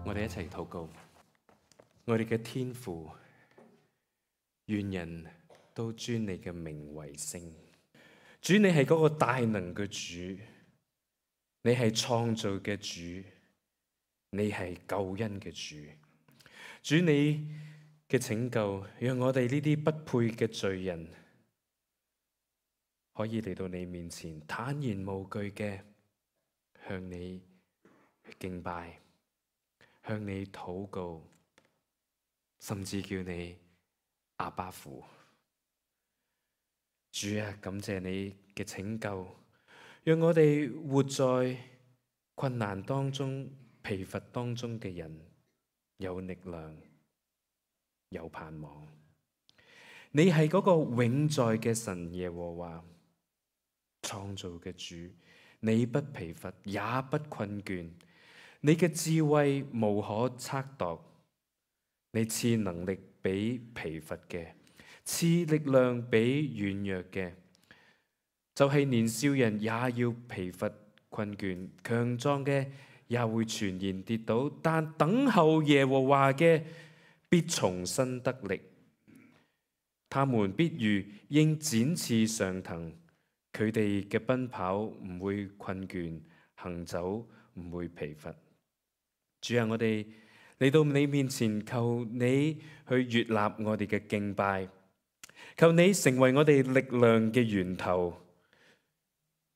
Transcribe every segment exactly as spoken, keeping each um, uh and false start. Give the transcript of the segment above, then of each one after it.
我哋一齊禱告。我哋嘅天父，願人都尊你嘅名為聖。主，你係嗰個大能嘅主，你係創造嘅主，你係救恩嘅主。主，你嘅拯救，讓我哋呢啲不配嘅罪人，可以嚟到你面前，坦然無懼嘅向你敬拜，向你禱告，甚至叫你阿爸父。主啊，感謝你嘅拯救，讓我哋活在困難當中、疲乏當中嘅人有力量、有盼望。你係嗰個永在嘅神耶和華，創造嘅主，你不疲乏也不困倦，你嘅智慧無可測度，你賜能力俾疲乏嘅，賜力量俾軟弱嘅，就係年少人也要疲乏困倦，強壯嘅也會全然跌倒，但等候耶和華嘅必重新得力，他們必如鷹展翅上騰，佢哋嘅奔跑唔會困倦，行走唔會疲乏。主啊，我哋嚟到你面前，求你去悅納我哋嘅敬拜，求你成為我哋力量嘅源頭，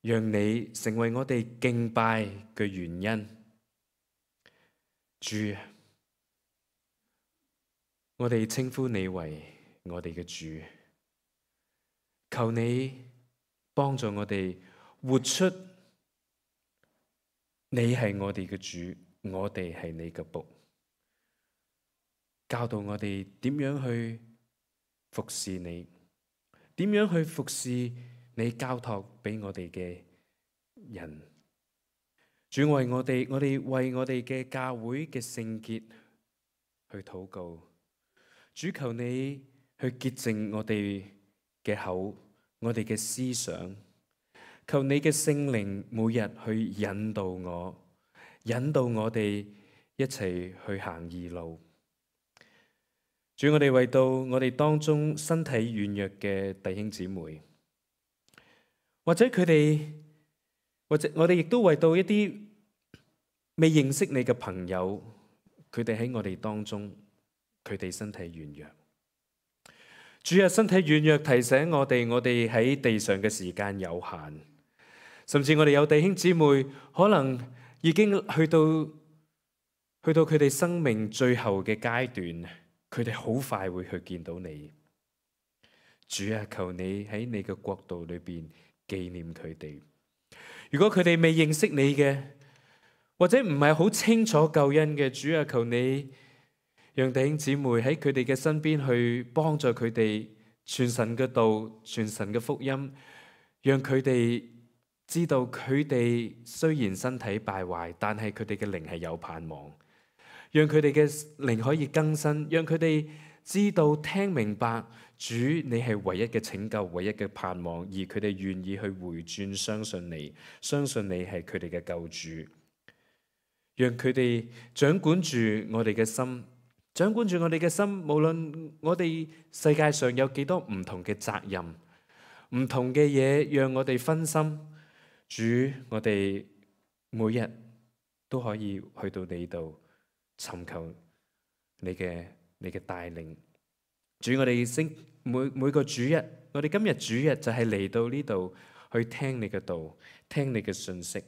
讓你成為我哋敬拜嘅原因。主，我哋稱呼你為我哋嘅主，求你幫助我哋活出你係我哋嘅主，我哋係你嘅僕，教導我哋點樣去服侍你，點樣去服侍你交託俾我哋嘅人。主，為我哋，我哋為我哋嘅教會嘅聖潔去禱告。主，求你去潔淨我哋嘅口，我哋嘅思想。求你嘅聖靈每日去引導我，引導我哋一齊去行義路。主，我哋為到我哋當中身體軟弱嘅弟兄姊妹，或者佢哋，或者我哋亦都為到一啲未認識你嘅朋友，佢哋喺我哋當中，佢哋身體軟弱。主啊，身體軟弱提醒我哋，我哋喺地上嘅時間有限，甚至我哋有弟兄姊妹可能已經去到去到佢哋生命最後嘅階段，佢哋好快會去見到你。主啊，求你喺你嘅國度裏邊紀念佢哋。如果佢哋未認識你嘅，或者唔係好清楚救恩嘅，主啊，求你讓弟兄姊妹喺佢哋嘅身邊去幫助佢哋傳神嘅道、傳神嘅福音，讓佢哋知道佢哋雖然身體敗壞，但係佢哋嘅靈係有盼望。讓佢哋嘅靈可以更新，讓佢哋知道聽明白主你係唯一嘅拯救、唯一嘅盼望，而佢哋願意去回轉，相信你，相信你係佢哋嘅救主。讓佢哋掌管住我哋嘅心，掌管住我哋嘅心。無論我哋世界上有幾多唔同嘅責任、唔同嘅嘢，讓我哋分心。主，我哋每日都可以去到你度尋求你嘅你嘅帶領。主，我哋星每每個主日，我哋今日主日就係嚟到呢度去聽你嘅道，聽你嘅信息。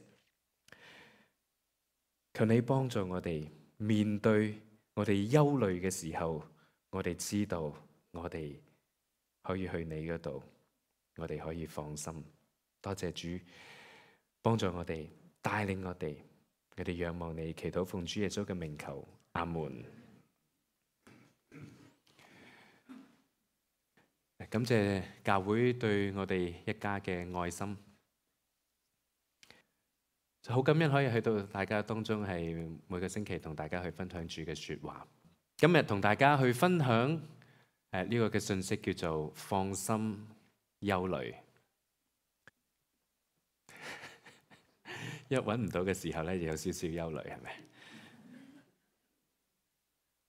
求你幫助我哋面對我哋憂慮嘅時候，我哋知道我哋可以去你嗰度，我哋可以放心。多謝主幫助我哋，帶領我哋，我哋仰望你，祈禱奉主耶穌嘅名求，阿門。感謝教會對我哋一家嘅愛心。好感恩可以去到大家當中，係每個星期同大家去分享主嘅說話。今日同大家去分享誒呢個嘅信息叫做放心憂慮。一揾唔到嘅時候咧，就有少少憂慮，係咪？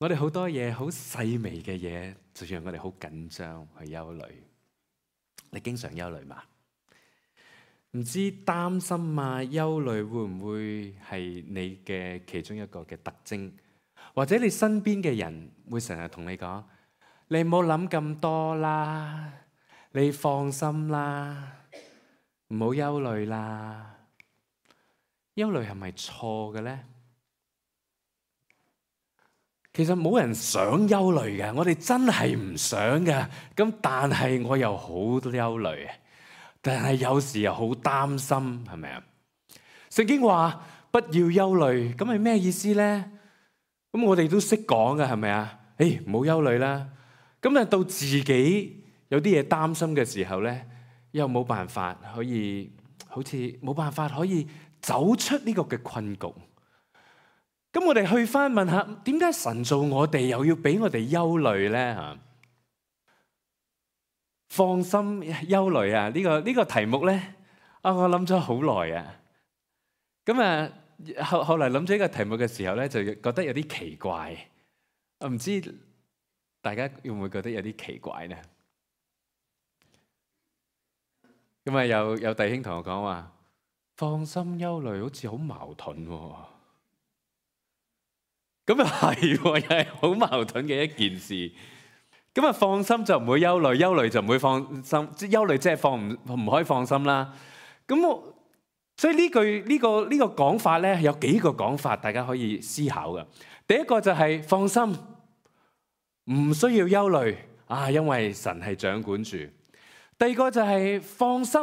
我哋好多嘢好細微嘅嘢，就讓我哋好緊張去憂慮。你經常憂慮嘛？唔知擔心啊、憂慮會唔會係你嘅其中一個嘅特徵？或者你身邊嘅人會成日同你講：你唔好諗咁多啦，你放心啦，唔好憂慮啦。憂慮係咪錯嘅呢？其實冇人想憂慮嘅，我哋真係唔想嘅。咁但係我又好憂慮，但係有時又好擔心，係咪啊？聖經話不要憂慮，咁係咩意思呢？咁我哋都識講嘅，係咪啊？誒，唔好憂慮啦。咁啊，到自己有啲嘢擔心嘅時候咧，又冇辦法可以，好似冇辦法可以走出呢個嘅困局。咁我哋去翻問下，點解神造我哋又要俾我哋憂慮咧？吓，放心憂慮啊！呢個呢個題目咧，啊，我諗咗好耐啊。咁啊，後後嚟諗咗呢個題目嘅時候咧，就覺得有啲奇怪。我唔知大家會唔會覺得有啲奇怪呢？咁啊，有有弟兄同我講話，放心憂慮好似好矛盾喎。咁又係，又係好矛盾嘅一件事。咁啊，放心就唔會憂慮，憂慮就唔會放心。即係憂慮即係放唔唔可以放心啦。咁我所以呢句呢個呢個講法咧，有幾個講法，大家可以思考嘅。第一個就係放心，唔需要憂慮啊，因為神係掌管住。第二個就係放心，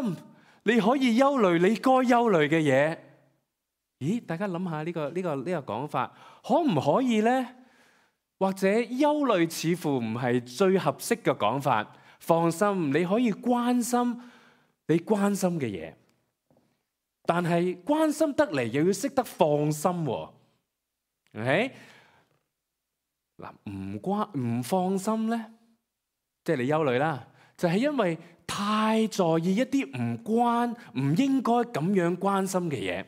你可以憂慮你該憂慮嘅嘢。咦，大家諗下呢個呢個呢個講法可唔可以呢？或者憂慮似乎唔係最合適嘅講法。放心，你可以關心你關心嘅嘢，但係關心得嚟又要識得放心喎。OK？嗱，唔關唔放心呢，即係你憂慮啦，就係因為太在意一啲唔關唔應該咁樣關心嘅嘢。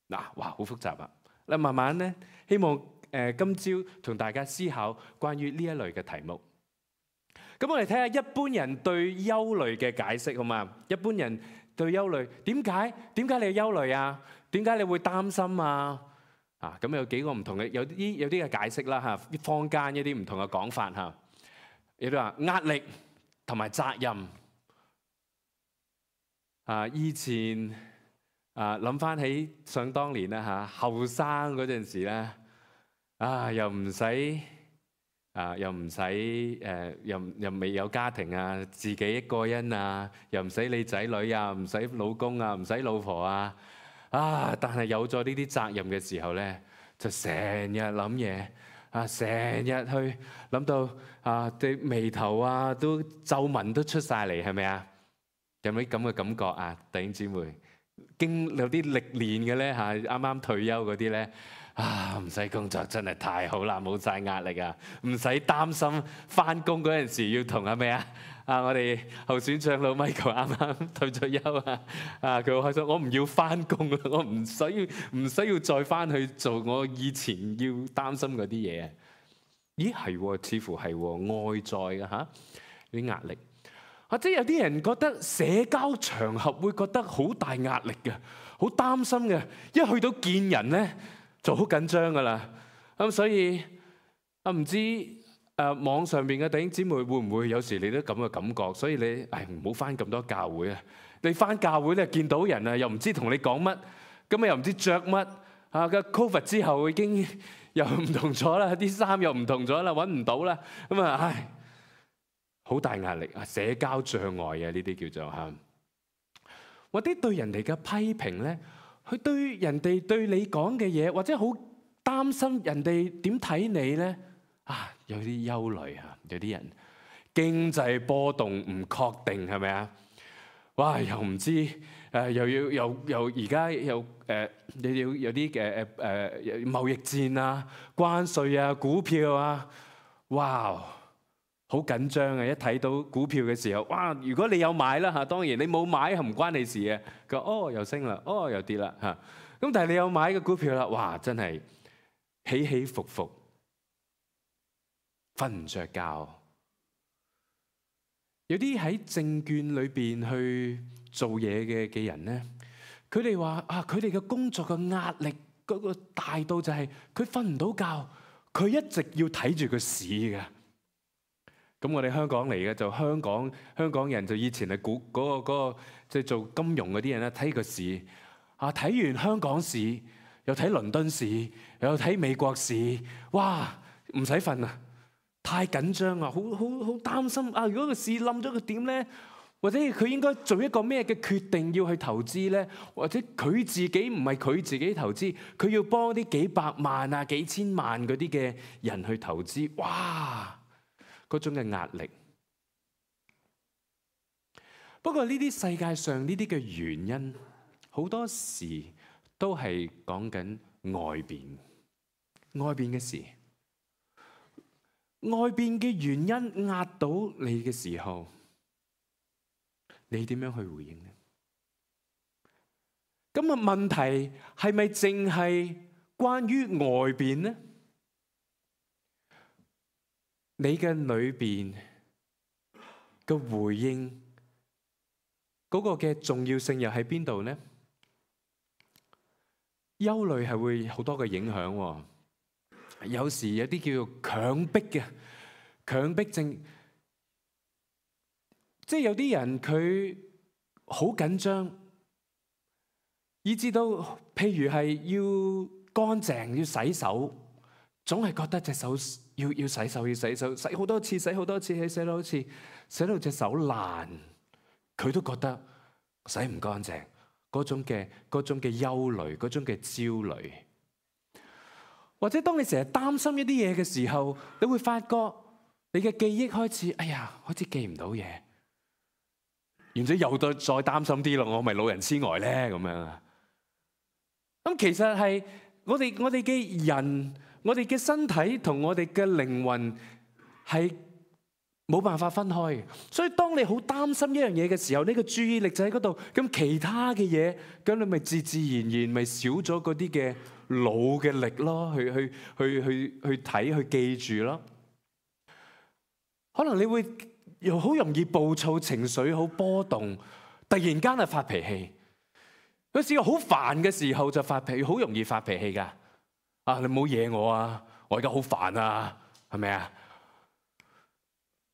嗱，哇，好複雜啊！嗱，慢慢咧，希望誒今朝同大家思考關於呢一類嘅題目。咁我哋睇下一般人對憂慮嘅解釋，好嘛？一般人對憂慮點解？點解你憂慮啊？點解你會擔心啊？啊，咁有幾個唔同嘅，有啲有啲嘅解釋啦嚇，坊間一啲唔同嘅講法嚇。有啲話壓力同埋責任啊，以前。啊，諗翻起想當年啦嚇，後生嗰陣時咧，啊又唔使啊又唔使誒，又又未有家庭啊，自己一個人啊，又唔使理仔女啊，唔使老公啊，唔使老婆啊，啊！但係有咗呢啲責任嘅時候咧，就成日諗嘢啊，成日去諗到啊，啲眉頭啊都皺紋都出晒嚟，係咪啊？有冇啲咁嘅感覺啊，弟兄姊妹？經有啲歷練嘅咧嚇，啱啱退休嗰啲咧啊，唔使工作真係太好啦，冇晒壓力啊，唔使擔心翻工嗰陣時要同係咪啊？啊，我哋候選長老 Michael 啱啱退咗休啊，啊佢好開心，我唔要翻工啦，我唔需要唔需要再翻去做我以前要擔心嗰啲嘢。咦係，似乎係外在嘅嚇啲壓力。或者有啲人覺得社交場合會覺得好大壓力嘅，好擔心嘅，一去到見人咧就好緊張噶啦。咁所以啊，唔知誒網上邊嘅弟兄姊妹會唔會有時你都咁嘅感覺？所以你誒唔好返咁多教會啊！你返教會咧見到人啊，又唔知同你講乜，咁啊又唔知着乜啊！個 Covid 之後已經又唔同咗啦，啲衫又唔同咗啦，揾唔到啦，咁啊唉〜好大壓力啊！社交障礙啊，呢啲叫做嚇。或者對人哋嘅批評咧，佢對人哋對你講嘅嘢，或者好擔心人哋點睇你咧啊，有啲憂慮啊，有啲人經濟波動唔確定係咪啊？哇，又唔知誒，又要又又而家又誒，你要有啲嘅誒誒貿易戰啊、關稅啊、股票啊，哇！好緊張啊！一睇到股票嘅時候，哇！如果你有買啦嚇，當然你冇買係唔關你事嘅。佢話哦又升啦，哦又跌啦嚇。咁但係你有買嘅股票啦，哇！真係起起伏伏瞓唔着覺。有啲喺證券裏邊去做嘢嘅嘅人咧，佢哋話啊，佢哋嘅工作嘅壓力嗰個大到就係佢瞓唔到覺，佢一直要睇住個市嘅。咁我哋香港嚟嘅就香港香港人就以前係估嗰個嗰個即係做金融嗰啲人咧，睇個市啊，睇完香港市又睇倫敦市又睇美國市，哇唔使瞓啊！太緊張啊，好好好擔心啊！如果個市冧咗，佢點咧？或者佢應該做一個咩嘅決定要去投資咧？或者佢自己唔係佢自己投資，佢要幫啲幾百萬啊、幾千萬嗰啲嘅人去投資，哇！嗰種嘅壓力。不過呢啲世界上呢啲嘅原因，好多時都係講緊外邊，外邊嘅事。外邊嘅原因壓到你嘅時候，你點樣去回應呢？咁啊，問題係咪淨係關於外邊呢？你嘅裏邊嘅回應嗰個嘅重要性又喺邊度呢？憂慮係會好多嘅影響喎。有時有啲叫做強迫嘅強迫症，即係有啲人佢好緊張，以至到譬如係要乾淨要洗手，總係覺得隻手要要洗手要洗手，洗好多次洗好多次洗洗多次，洗到隻手爛，佢都覺得洗唔乾淨，嗰種嘅嗰種嘅憂慮，嗰種嘅焦慮。或者當你成日擔心一啲嘢嘅時候，你會發覺你嘅記憶開始，哎呀，開始記唔到嘢，然之後又再再擔心啲咯，我咪老人痴呆咧咁樣啊。咁其實係我哋我哋嘅人，我哋嘅身體同我哋嘅靈魂係冇辦法分開。所以當你好擔心一樣嘢嘅時候，你個注意力就喺嗰度，咁其他嘅嘢，咁你咪自自然然咪少咗嗰啲嘅腦嘅力咯，去去去去去睇去記住咯。可能你會又好容易暴躁，情緒好波動，突然間啊發脾氣。有時好煩嘅時候就發脾氣，好容易發脾氣噶。啊，你唔好惹我啊！我而家好煩啊，係咪啊？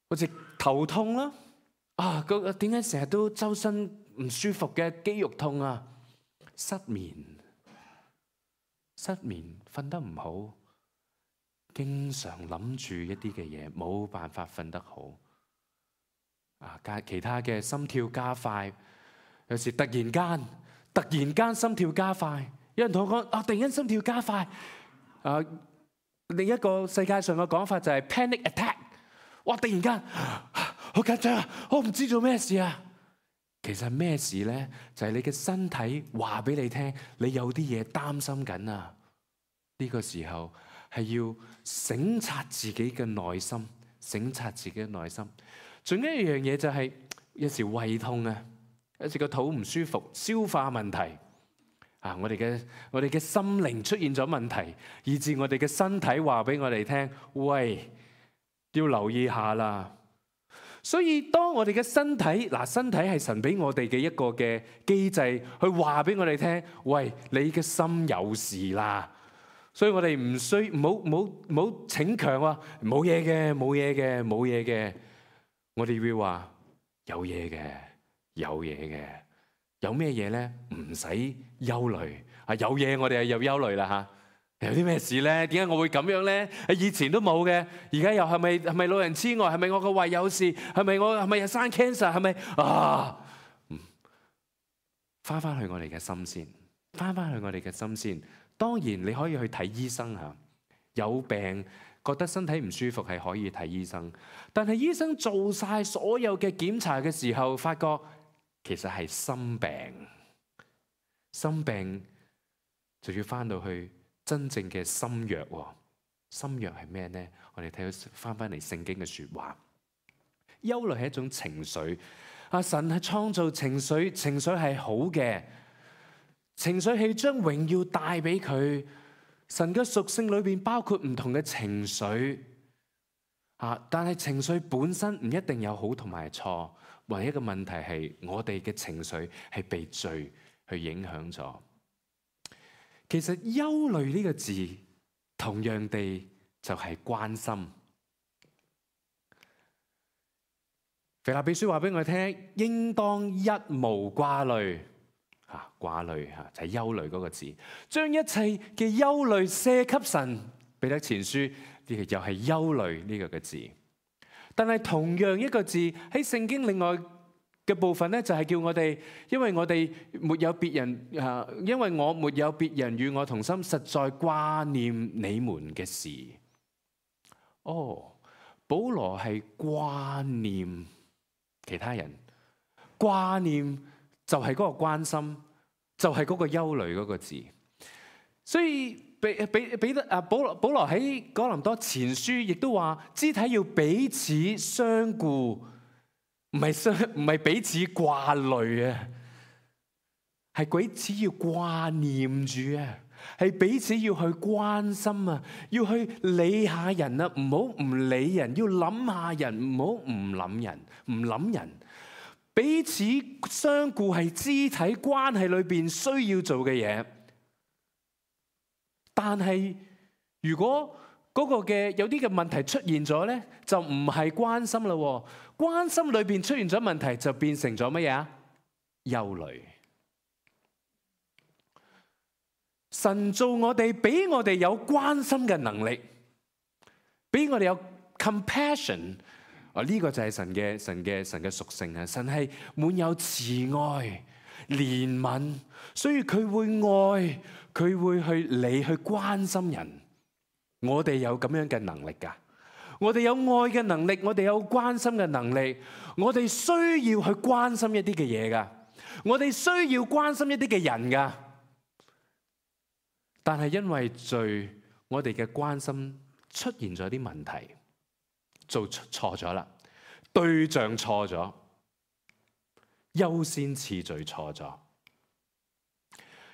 好似頭痛啦，啊，個點解成日都周身唔舒服嘅肌肉痛啊？失眠。失眠，瞓得唔好，經常諗住一啲嘅嘢，冇辦法瞓得好。啊，加其他嘅心跳加快，有時突然間突然間心跳加快，有人同我講啊，突然間心跳加快。啊，另一個世界上嘅講法就係 panic attack。哇，突然間好緊張啊，我唔知做咩事啊。其實咩事咧？就係你嘅身體話俾你聽，你有啲嘢擔心緊啊！呢個時候係要省察自己嘅內心，省察自己嘅內心。仲有一樣嘢就係有時胃痛啊，有時個肚唔舒服，消化問題啊，我哋嘅我哋嘅心靈出現咗問題，以致我哋嘅身體話俾我哋聽，喂，要留意下啦。所以當我哋嘅身體，嗱，身體係神俾我哋嘅一個嘅機制，去話俾我哋聽，喂，你嘅心有事啦。所以我哋唔需唔好唔好唔好逞強話冇嘢嘅，冇嘢嘅，冇嘢嘅。我哋會話有嘢嘅，有嘢嘅。有咩嘢咧？唔使憂慮啊！有嘢我哋係有憂慮啦吓。有啲咩事咧？點解我會咁樣咧？以前都冇嘅，而家又係咪係咪老人痴呆？係咪我個胃有事？係咪我係咪又生 cancer？係咪啊？翻翻去我哋嘅心先，翻翻去我哋嘅心先。當然你可以去睇醫生吓，有病覺得身體唔舒服係可以睇醫生。但係醫生做晒所有嘅檢查嘅時候，發覺其實係心病。心病就要翻到去真正嘅心藥。心藥係咩呢？我哋睇到翻翻嚟聖經嘅說話，憂慮係一種情緒。阿神係創造情緒，情緒係好嘅，情緒係將榮耀帶俾佢。神嘅屬性裏邊包括唔同嘅情緒。啊！但係情緒本身唔一定有好同埋錯，唯一嘅問題係我哋嘅情緒係被罪去影響咗。其實憂慮呢個字同樣地就係關心。腓立比書話俾我聽，應當一無掛慮。嚇，掛慮嚇就係憂慮嗰個字，將一切嘅憂慮卸給神。彼得前書呢個又係憂慮呢個嘅字。但係同樣一個字喺聖經另外嘅部分咧，就係叫我哋，因為我哋沒有別人啊，因為我沒有別人與我同心，實在掛念你們嘅事。哦，保羅係掛念其他人，掛念就係嗰個關心，就係嗰個憂慮嗰個字。所以彼彼彼得啊，保羅保羅喺哥林多前書亦都話，肢體要彼此相顧，唔係相唔係彼此掛慮啊，係彼此要掛念住啊，係彼此要去關心啊，要去理下人啊，唔好唔理人，要諗下人，唔好唔諗人，唔諗人。彼此相顧係肢體關係裏邊需要做嘅嘢。但係如果嗰個嘅有啲嘅問題出現咗咧，就唔係關心啦。關心裏邊出現咗問題，就變成咗乜嘢啊？憂慮。神造我哋，俾我哋有關心嘅能力，俾我哋有 compassion。啊，呢個就係神嘅神嘅神嘅屬性啊！神係滿有慈愛、憐憫，所以佢會愛。佢會去理去關心人，我哋有咁樣嘅能力㗎。我哋有愛嘅能力，我哋有關心嘅能力，我哋需要去關心一啲嘅嘢㗎。我哋需要關心一啲嘅人㗎。但係因為罪，我哋嘅關心出現咗啲問題，做錯咗啦，對象錯咗，優先次序錯咗。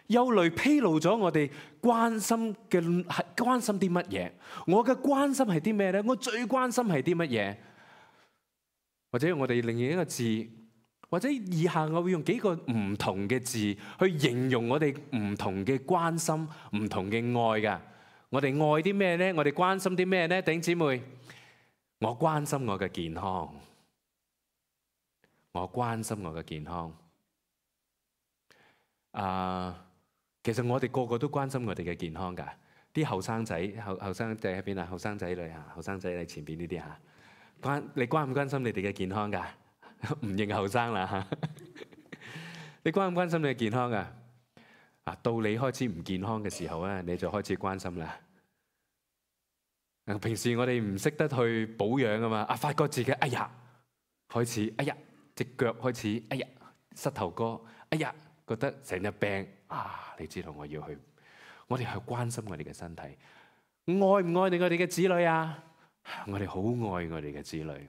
憂慮披露咗我哋關心嘅係關心啲乜嘢？我嘅關心係啲咩咧？我最關心係啲乜嘢？或者用我哋另一個字，或者以下我會用幾個唔同嘅字去形容我哋唔同嘅關心、唔同嘅愛㗎。我哋愛啲咩咧？我哋關心啲咩咧？弟兄姊妹，我關心我嘅健康，我關心我嘅健康。啊、uh,！其實我哋個個都關心我哋嘅健康㗎，啲後生仔後後生仔喺邊啊？後生仔女啊，後生仔你前邊呢啲嚇，關你關唔關心你哋嘅健康㗎？唔認後生啦嚇，你關唔關心你嘅健康㗎？啊，到你開始唔健康嘅時候咧，你就開始關心啦。平時我哋唔識得去保養啊嘛，啊發覺自己哎呀開始哎呀隻腳開始哎呀膝頭哥哎呀。覺得成日病啊！你知道我要去，我哋去關心我哋嘅身體，愛唔愛你我哋嘅子女啊？我哋好愛我哋嘅子女，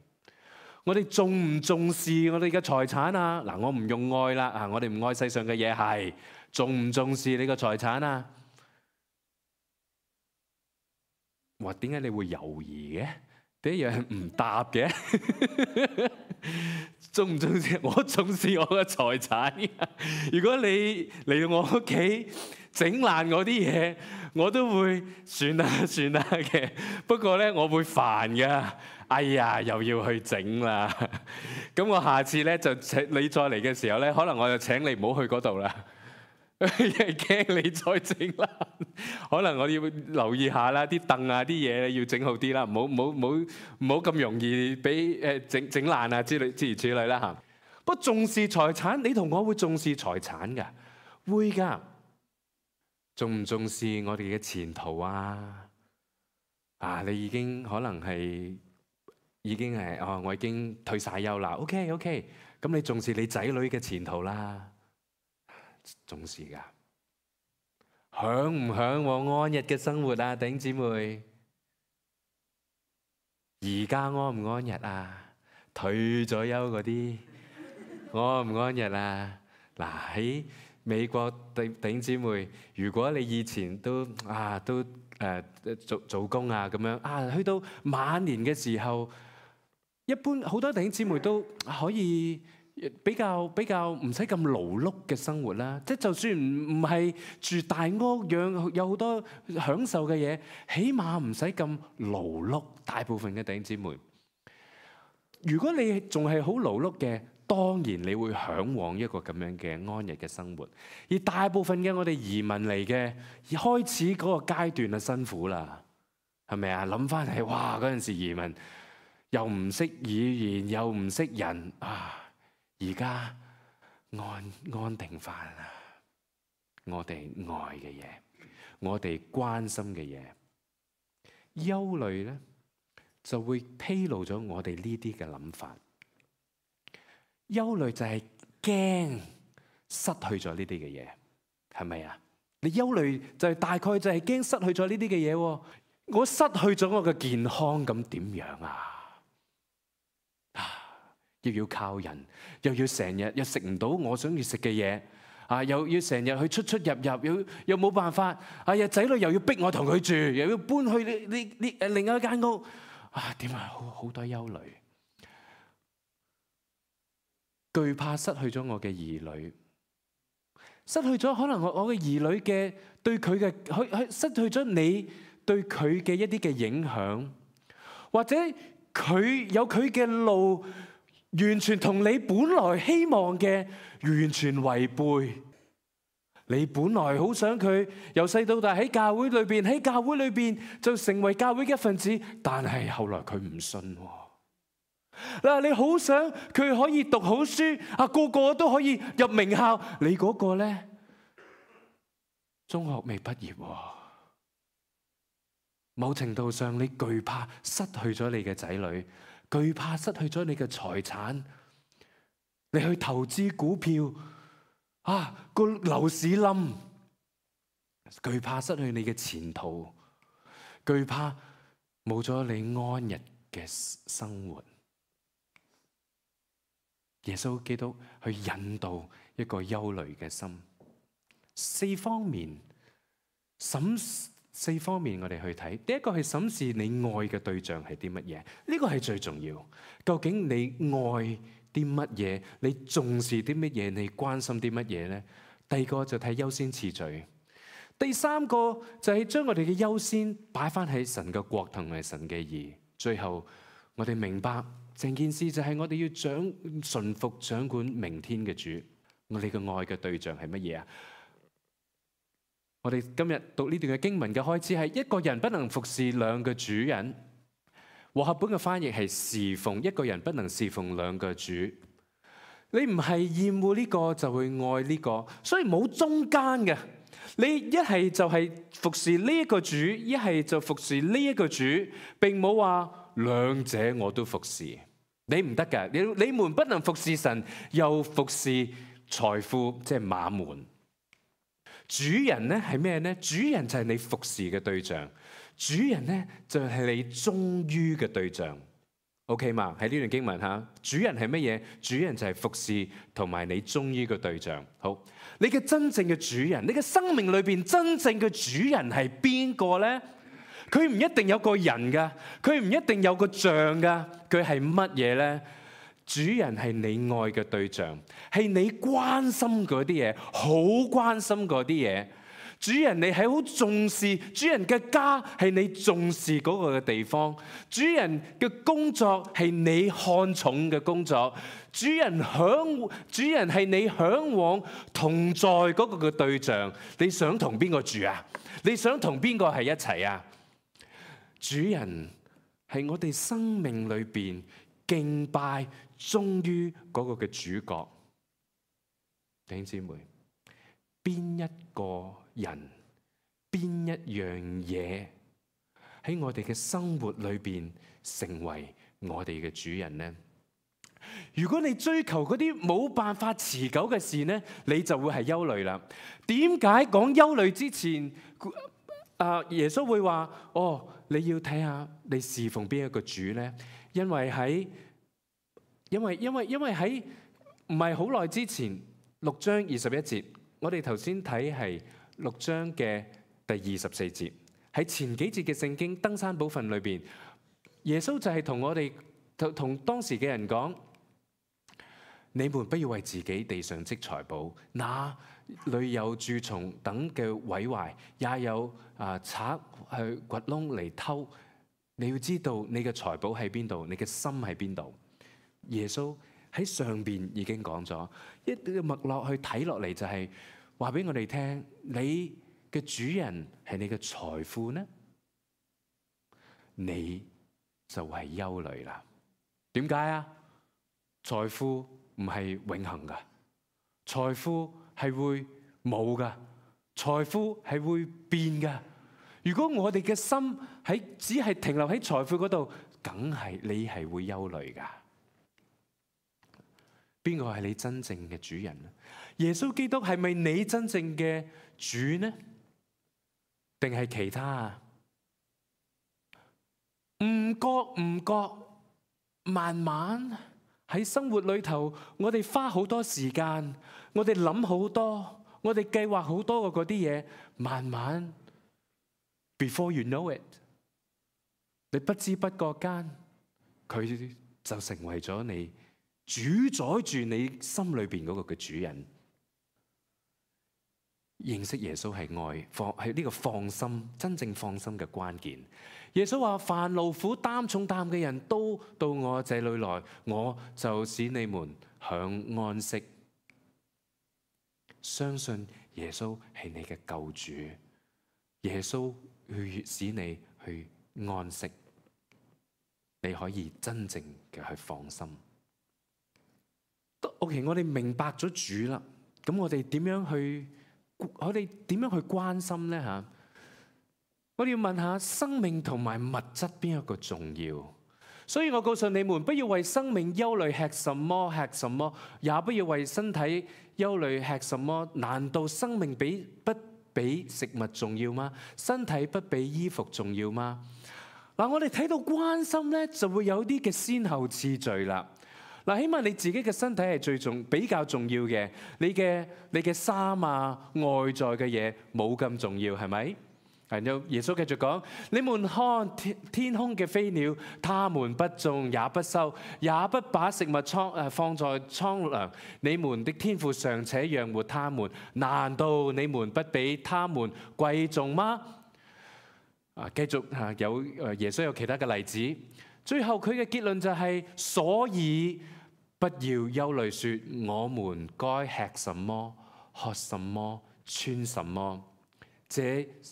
我哋重唔重視我哋嘅財產啊？嗱，我唔用愛啦，啊，我哋唔愛世上嘅嘢，係重唔重視你嘅財產啊？哇，點解你會猶豫嘅？第一樣係唔答嘅。重唔重視？我重視我嘅財產。如果你嚟到我屋企整爛我啲嘢，我都會算啦算啦嘅。不過咧，我會煩㗎。哎呀，又要去整啦。咁我下次咧就請你再嚟嘅時候咧，可能我就請你唔好去嗰度啦，因為驚你再整爛。可能我要留意下啦，啲凳啊啲嘢要整好啲啦，唔好唔好唔好唔好咁容易俾誒整整爛啊之類之如此類啦嚇。不過重視財產，你同我會重視財產㗎，會㗎。重唔重視我哋嘅前途啊？啊，你已經可能係已經係哦，我已經退晒休啦。OK OK，咁你重視你仔女嘅前途啦，重視㗎。享唔享我安逸嘅生活啊，弟兄姊妹？而家安唔安逸啊？退咗休嗰啲安唔安逸啊？嗱，喺美國弟弟兄姊妹，如果你以前都啊都誒做做工啊咁樣啊，去到晚年嘅時候，一般好多弟兄姊妹都可以比較比較唔使咁勞碌嘅生活啦。即係就算唔唔係住大屋，養有好多享受嘅嘢，起碼唔使咁勞碌。大部分嘅弟兄姊妹，如果你仲係好勞碌嘅，當然你會嚮往一個咁樣嘅安逸嘅生活。而大部分嘅我哋移民嚟嘅，開始嗰個階段就辛苦啦，係咪啊？諗翻起，哇！嗰陣時移民又唔識語言，又唔識人啊！而家安安定翻啦，我哋愛嘅嘢，我哋關心嘅嘢，憂慮咧就會披露咗我哋呢啲嘅諗法。憂慮就係驚失去咗呢啲嘅嘢，係咪啊？你憂慮就係大概就係驚失去咗呢啲嘅嘢。我失去咗我嘅健康，咁點樣啊？啊，又要靠人，又要成日又食唔到我想要食嘅嘢，啊，又要成日去出出入入，又又冇辦法。哎呀，仔女又要逼我同佢住，又要搬去呢呢呢誒另外一間屋，啊，點啊？好好多憂慮。懼怕失去咗我嘅兒女，失去咗可能我我嘅兒女嘅對佢嘅，去去失去咗你對佢嘅一啲嘅影響，或者佢有佢嘅路，完全同你本來希望嘅完全違背。你本來好想佢由細到大喺教會裏邊，喺教會裏邊就成為教會嘅一份子，但係後來佢唔信。嗱，你好想佢可以讀好書，啊，個個都可以入名校，你嗰個咧中學未畢業，某程度上你懼怕失去咗你嘅仔女，懼怕失去咗你嘅財產，你去投資股票，啊，個樓市冧，懼怕失去你嘅前途，懼怕冇咗你安逸嘅生活。耶穌基督去引導一個憂慮嘅心，四方面審四方面我哋去睇。第一個係審視你愛嘅對象係啲乜嘢，呢個係最重要。究竟你愛啲乜嘢？你重視啲乜嘢？你關心啲乜嘢呢？第二個就睇優先次序。第三個就係將我哋嘅優先擺翻喺神嘅國同埋神嘅義。最後我哋明白。成件事就係我哋要掌順服掌管明天嘅主。我哋嘅愛嘅對象係乜嘢啊？我哋今日讀呢段嘅經文嘅開始係一個人不能服侍兩個主人。和合本嘅翻譯係侍奉，一個人不能侍奉兩個主。你唔係厭惡呢個就會愛呢個，所以冇中間嘅。你一係就係服侍呢一個主，一係就服侍呢一個主，並冇話。兩者我都服侍，你唔得㗎。你你們不能服侍神，又服侍財富，即係馬門。主人咧係咩咧？主人就係你服侍嘅對象，主人咧就係你忠於嘅對象。OK 嘛？喺呢段經文吓，主人係乜嘢？主人就係服侍同埋你忠於嘅對象。好，你嘅真正嘅主人，你嘅生命裏邊真正嘅主人係邊個咧？佢唔一定有個人噶，佢唔一定有個像噶，佢係乜嘢咧？主人係你愛嘅對象，係你關心嗰啲嘢，好關心嗰啲嘢。主人你係好重視，主人嘅家係你重視嗰個嘅地方，主人嘅工作係你看重嘅工作，主人向主人係你向往同在嗰個嘅對象。你想同邊個住啊？你想同邊個係一齊啊？主人係我哋生命裏邊敬拜忠於嗰個嘅主角。弟兄姊妹，邊一個人，邊一樣嘢喺我哋嘅生活裏邊成為我哋嘅主人呢？如果你追求嗰啲冇辦法持久嘅事呢，你就會係憂慮啦。點解講憂慮之前，啊耶穌會話哦？你要睇下你侍奉邊一個主咧？因為喺因為因為因為喺唔係好耐之前六章二十一節，我哋頭先睇係六章嘅第二十四節。喺前幾節嘅聖經登山寶訓裏邊，耶穌就係同我哋同同當時嘅人講：你們不要為自己地上積財寶，那裏有蛀蟲等嘅毀壞，也有啊賊去掘窿嚟偷。你要知道你嘅財寶喺邊度，你嘅心喺邊度。耶穌喺上邊已經講咗，一個脈絡去睇落嚟就係話俾我哋聽，你嘅主人係你嘅財富呢，你就係憂慮啦。點解啊？財富唔係永恆噶，財富係會冇噶，財富係會變噶。如果我哋嘅心喺只係停留喺財富嗰度，梗係你係會憂慮噶。邊個係你真正嘅主人呢？耶穌基督係咪你真正嘅主呢？定係其他啊？唔覺唔覺，慢慢喺生活裏頭，我哋花好多時間，我哋諗好多，我哋計劃好多嘅嗰啲嘢，慢慢 before you know it， 你不知不覺間，佢就成為咗你主宰住你心裏邊嗰個嘅主人。認識耶穌係愛，放係呢個放心，真正放心嘅關鍵。耶穌話：凡勞苦擔重擔嘅人都到我這裏來，我就使你們享安息。相信耶穌係你嘅救主，耶穌去使你去安息，你可以真正嘅去放心。OK， 我哋明白咗主啦，咁我哋點樣去？我哋點樣去關心呢？吓，我哋要問下生命同埋物質邊一個重要？所以我告訴你們，不要為生命憂慮，吃什麼吃什麼，也不要為身體憂慮，吃什麼。難道生命比不比食物重要嗎？身體不比衣服重要嗎？嗱，我哋睇到關心咧，就會有啲嘅先後次序啦。嗱，起碼你自己嘅身體係最重比較重要嘅，你嘅你嘅衫啊，外在嘅嘢冇咁重要，係咪？然後耶穌繼續講：你們看天天空嘅飛鳥，他們不種也不收，也不把食物倉誒放在倉糧，你們的天父尚且養活他們，難道你們不比他們貴重嗎？啊，繼續嚇有誒耶穌有其他嘅例子。最後佢嘅結論就係：所以不要憂慮，說我們該吃什麼、喝什麼、穿什麼。這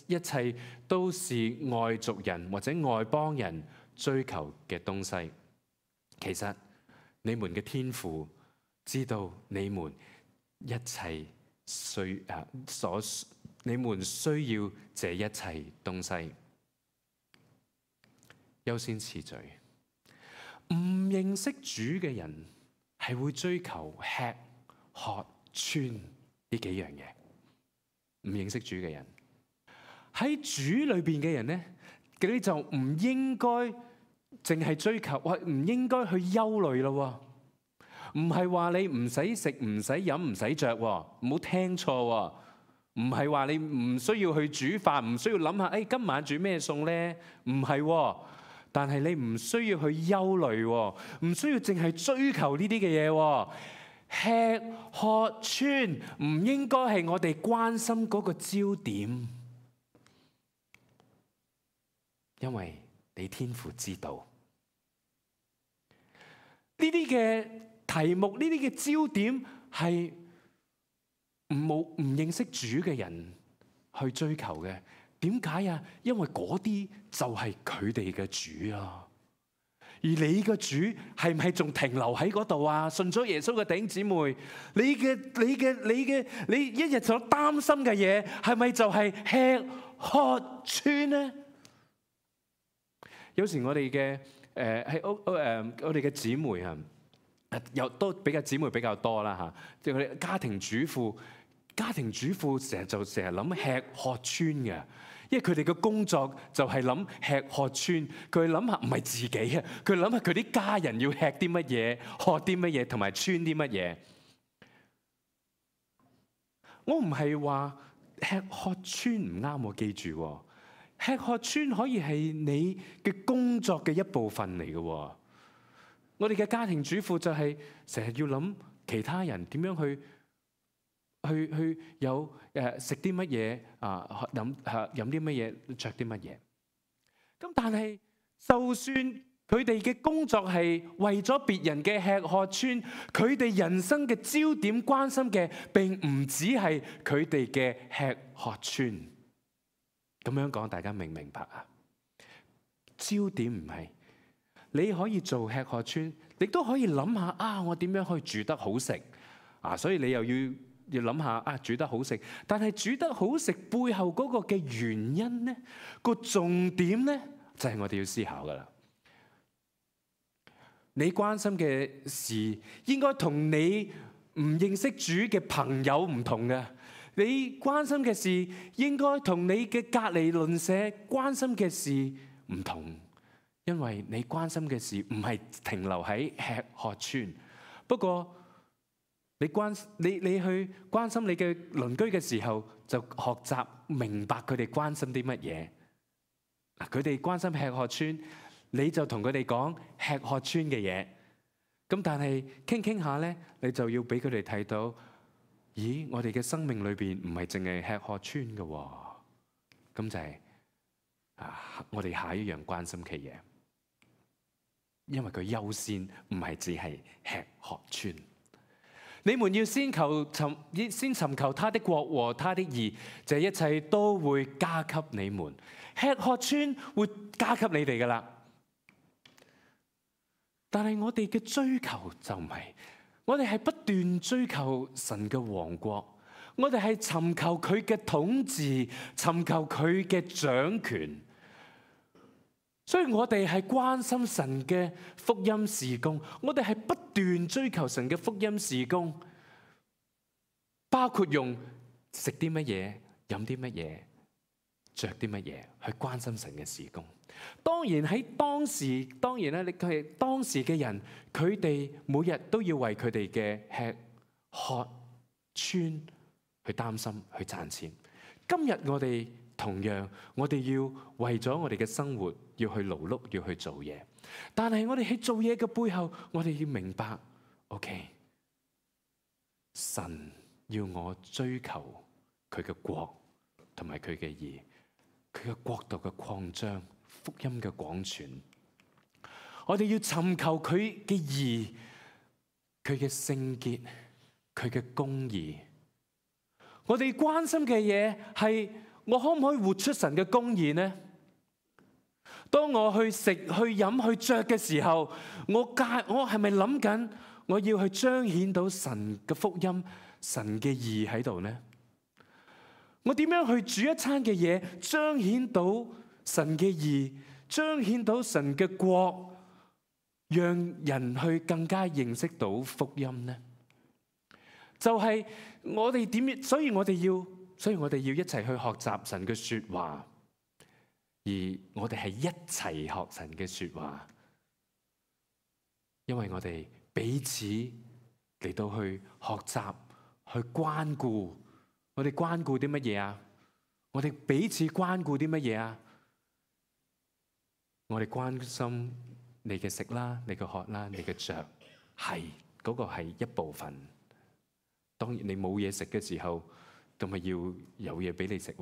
一切都是外族人或者外邦人追求嘅東西。其實你們嘅天父知道你們一切需啊所你們需要這一切東西。優先次序。唔認識主嘅人係會追求吃喝穿呢幾樣嘢。唔認識主嘅人喺主裏邊嘅人咧，佢就唔應該淨係追求，或唔應該去憂慮咯。唔係話你唔使食、唔使飲、唔使着，唔好聽錯。唔係話你唔需要去煮飯，唔需要諗下，誒、哎、今晚煮咩餸咧？唔係。但係你唔需要去憂慮，唔需要淨係追求呢啲嘅嘢。吃喝穿唔應該係我哋關心嗰個焦點，因為你天父知道呢啲嘅題目，呢啲嘅焦點係唔冇唔認識主嘅人去追求嘅。點解啊？因為嗰啲就係佢哋嘅主啊，而你嘅主係唔係仲停留喺嗰度啊？信咗耶穌嘅弟兄姊妹，你嘅你嘅你嘅你一日所擔心嘅嘢，係咪就係吃喝穿呢？有時我哋嘅誒喺屋誒我哋嘅姊妹啊，又都比較姊妹比較多啦嚇，即係佢哋家庭主婦，家庭主婦成日就成日諗吃喝穿嘅。因為佢哋嘅工作就係諗吃喝穿，佢諗下唔係自己啊，佢諗下佢啲家人要吃啲乜嘢、喝啲乜嘢同埋穿啲乜嘢。我唔係話吃喝穿唔啱，我記住吃喝穿可以係你嘅工作嘅一部分嚟嘅。我哋嘅家庭主婦就係成日要諗其他人點樣去去去有誒食啲乜嘢啊，飲嚇飲啲乜嘢，着啲乜嘢。咁但係就算佢哋嘅工作係為咗別人嘅吃喝穿，佢哋人生嘅焦點關心嘅並唔只係佢哋嘅吃喝穿。咁樣講，大家明唔明白啊？焦點唔係你可以做吃喝穿，你都可以諗下啊，我點樣可以煮得好食啊？所以你又要要諗下啊，煮得好食。但係煮得好食背後嗰個嘅原因呢，個重點呢，就係我哋要思考噶啦。你關心嘅事應該同你唔認識主嘅朋友唔同嘅。你關心嘅事應該同你嘅隔離鄰舍關心嘅事唔同，因為你關心嘅事唔係停留喺吃喝穿。不過你關你你去關心你嘅鄰居嘅時候，就學習明白佢哋關心啲乜嘢。嗱，佢哋關心吃喝穿，你就同佢哋講吃喝穿嘅嘢。咁但係傾傾下咧，你就要俾佢哋睇到。咦，我哋嘅生命裏邊唔係淨係吃喝穿嘅喎，咁就係啊，我哋下一樣關心嘅嘢，因為佢優先唔係只係吃喝穿。你們要先求尋先尋求他的國和他的義，這一切都會加給你們。吃喝穿會加給你哋噶啦，但係我哋嘅追求就唔係。我哋係不斷追求神嘅王國，我哋係尋求佢嘅統治，尋求佢嘅掌權。所以我哋係關心神嘅福音事工，我哋係不斷追求神嘅福音事工，包括用食啲乜嘢、飲啲乜嘢、着啲乜嘢去關心神嘅事工。當然喺當時，當然咧，你係當時嘅人，佢哋每日都要為佢哋嘅吃喝穿去擔心，去賺錢。今日我哋同樣，我哋要為咗我哋嘅生活要去勞碌，要去做嘢。但係我哋喺做嘢嘅背後，我哋要明白 ，OK， 神要我追求佢嘅國同埋佢嘅義，佢嘅國度嘅擴張。福音嘅廣傳，我哋要尋求佢嘅義，佢嘅聖潔，佢嘅公義。我哋關心嘅嘢係我可唔可以活出神嘅公義呢？當我去食、去飲、去着嘅時候，我介我係咪諗緊我要去彰顯到神嘅福音、神嘅義喺度呢？我點樣去煮一餐嘅嘢，彰顯到神嘅義，彰顯到神嘅國，讓人去更加認識到福音呢？就係我哋點，所以我哋要，所以我哋要一齊去學習神嘅說話，而我哋係一齊學神嘅說話，因為我哋彼此嚟到去學習，去關顧，我哋關顧啲乜嘢啊？我哋彼此關顧啲乜嘢啊？我哋關心你嘅食啦，你嘅喝啦，你嘅着，係嗰個係一部分。當然你冇嘢食嘅時候，咁咪要有嘢俾你食。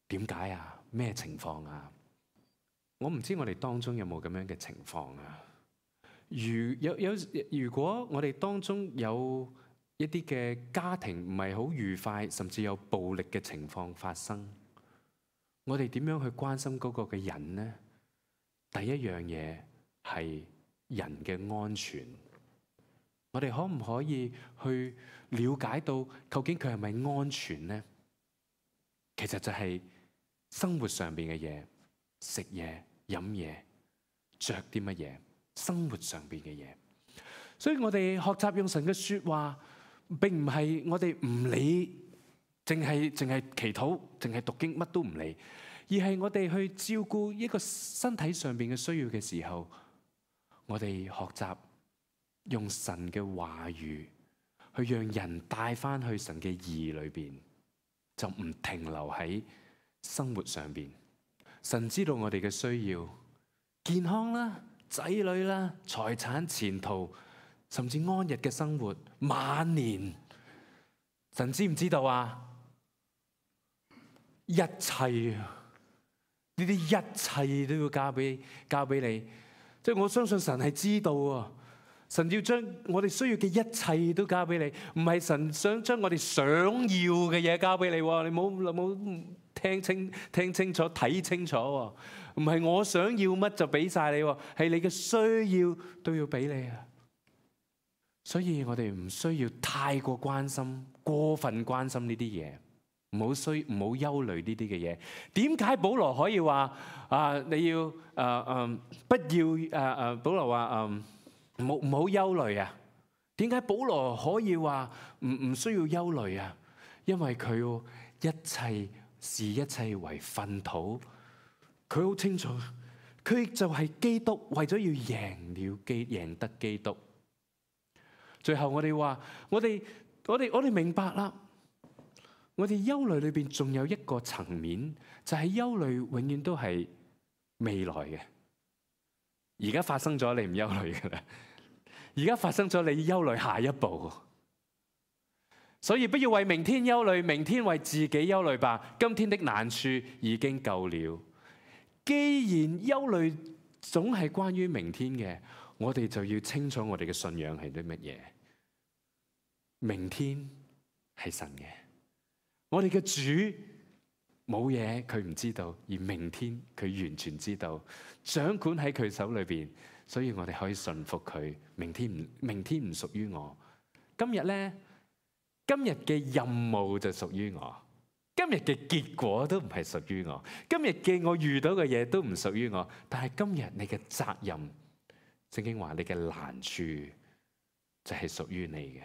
點解啊？咩情況啊？我唔知我哋當中有冇咁樣嘅情況啊？如有有如果我哋當中有一啲嘅家庭唔係好愉快，甚至有暴力嘅情況發生，我哋點樣去關心嗰個嘅人呢？第一樣嘢係人嘅安全，我哋可唔可以去了解到究竟佢係咪安全呢？其實就係生活上邊嘅嘢，食嘢、飲嘢、着啲乜嘢，生活上邊嘅嘢。所以我哋學習用神嘅說話，並唔係我哋唔理，淨係淨係祈禱，淨係讀經，乜都唔理。而係我哋去照顧一個身體上邊嘅需要嘅時候，我哋學習用神嘅話語去讓人帶翻去神嘅義裏邊，就唔停留喺生活上邊。神知道我哋嘅需要，健康啦、仔女啦、財產、前途，甚至安逸嘅生活、晚年，神知唔知道啊？一切啊！呢啲一切都要交俾交俾你，即係我相信神係知道啊！神要將我哋需要嘅一切都交俾你，唔係神想將我哋想要嘅嘢交俾你喎。你冇冇聽清聽清楚睇清楚喎？唔係我想要乜就俾晒你喎，係你嘅需要都要俾你啊！所以我哋唔需要太過關心、過分關心呢啲嘢。唔好需唔好憂慮呢啲嘅嘢。點解保羅可以話啊？你要誒誒、呃、不要誒誒、呃？保羅話誒唔好唔好憂慮啊？點解保羅可以話唔唔需要憂慮啊？因為佢一切視一切為糞土，佢好清楚，佢就係基督，為咗要贏了基贏得基督。最後我哋話，我哋我哋我哋明白啦。我哋憂慮裏邊仲有一個層面，就係憂慮永遠都係未來嘅。而家發生咗，你唔憂慮噶啦。而家發生咗，你憂慮下一步。所以不要為明天憂慮，明天為自己憂慮吧。今天的難處已經夠了。既然憂慮總係關於明天嘅，我哋就要清楚我哋嘅信仰係啲乜嘢。明天係神嘅。我哋嘅主冇嘢佢唔知道，而明天佢完全知道，掌管喺佢手裏邊，所以我哋可以順服佢。明天唔明天唔屬於我，今日咧，今日嘅任務就屬於我，今日嘅結果都唔係屬於我，今日嘅我遇到嘅嘢都唔屬於我。但係今日你嘅責任，聖經話你嘅難處就係屬於你嘅。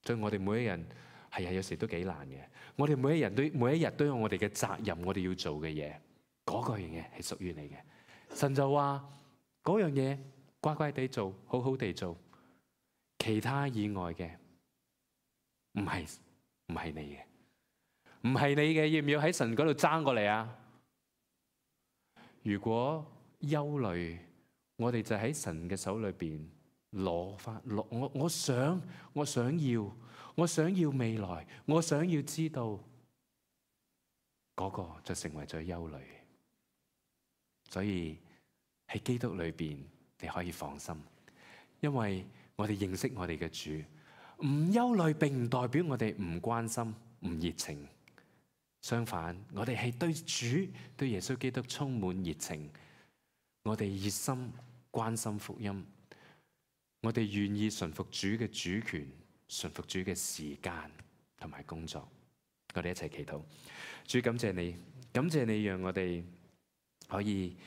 所以我哋每一人。係啊，有時都幾難嘅。我哋每一人都每一日都有我哋嘅責任，我哋要做嘅嘢，嗰個樣嘢係屬於你嘅。神就話嗰樣嘢乖乖地做，好好地做，其他以外嘅唔係唔係你嘅，唔係你嘅，要唔要喺神嗰度爭過嚟啊？如果憂慮，我哋就喺神嘅手裏邊攞翻攞，我我想我想要。我想要未來，我想要知道嗰個就成為咗憂慮。所以喺基督裏邊你可以放心，因為我哋認識我哋嘅主。唔憂慮並唔代表我哋唔關心、唔熱情。相反，我哋係對主、對耶穌基督充滿熱情。我哋熱心關心福音，我哋願意順服主嘅主權。順服主嘅時間同埋工作，我哋一齊祈禱。主，感謝你，感謝你讓我哋可以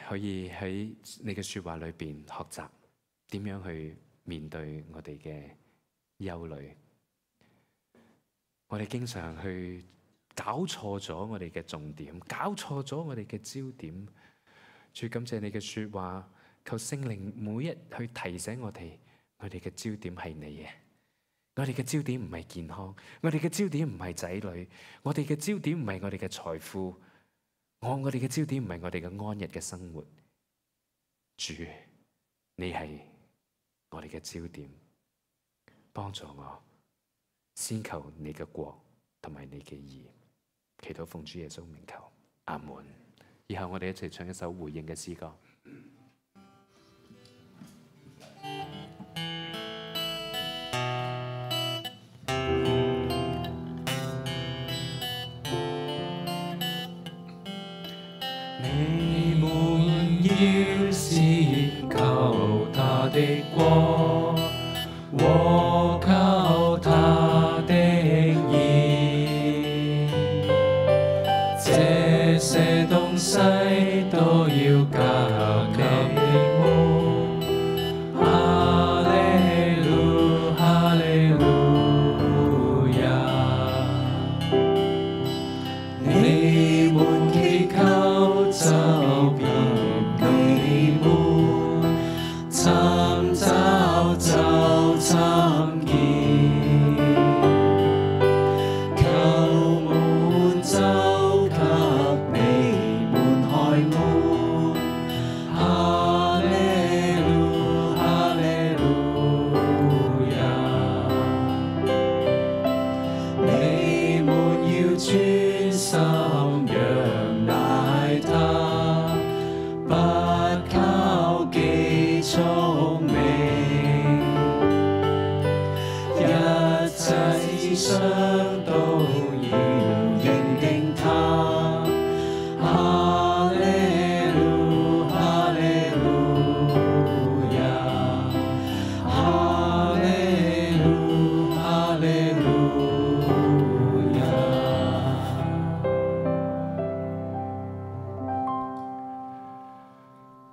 可以喺你嘅說話裏邊學習點樣去面對我哋嘅憂慮。我哋經常去搞錯咗我哋嘅重點，搞錯咗我哋嘅焦點。主，感謝你嘅說話，求聖靈每日去提醒我哋。我哋嘅焦點係你嘅，我哋嘅焦點唔係健康，我哋嘅焦點唔係仔女，我哋嘅焦點唔係我哋嘅財富，我我哋嘅焦點唔係我哋嘅安逸嘅生活。主，你係我哋嘅焦點，幫助我先求你嘅國同埋你嘅義。祈禱奉主耶穌名求，阿門。以後我哋一齊唱一首回應嘅詩歌。你們要先求他的國和求他的義，這些東西都要加給你們。哈利路，哈利路亞。你們祈求就必給你們，尋找就尋見，求門就給世上都要認定他。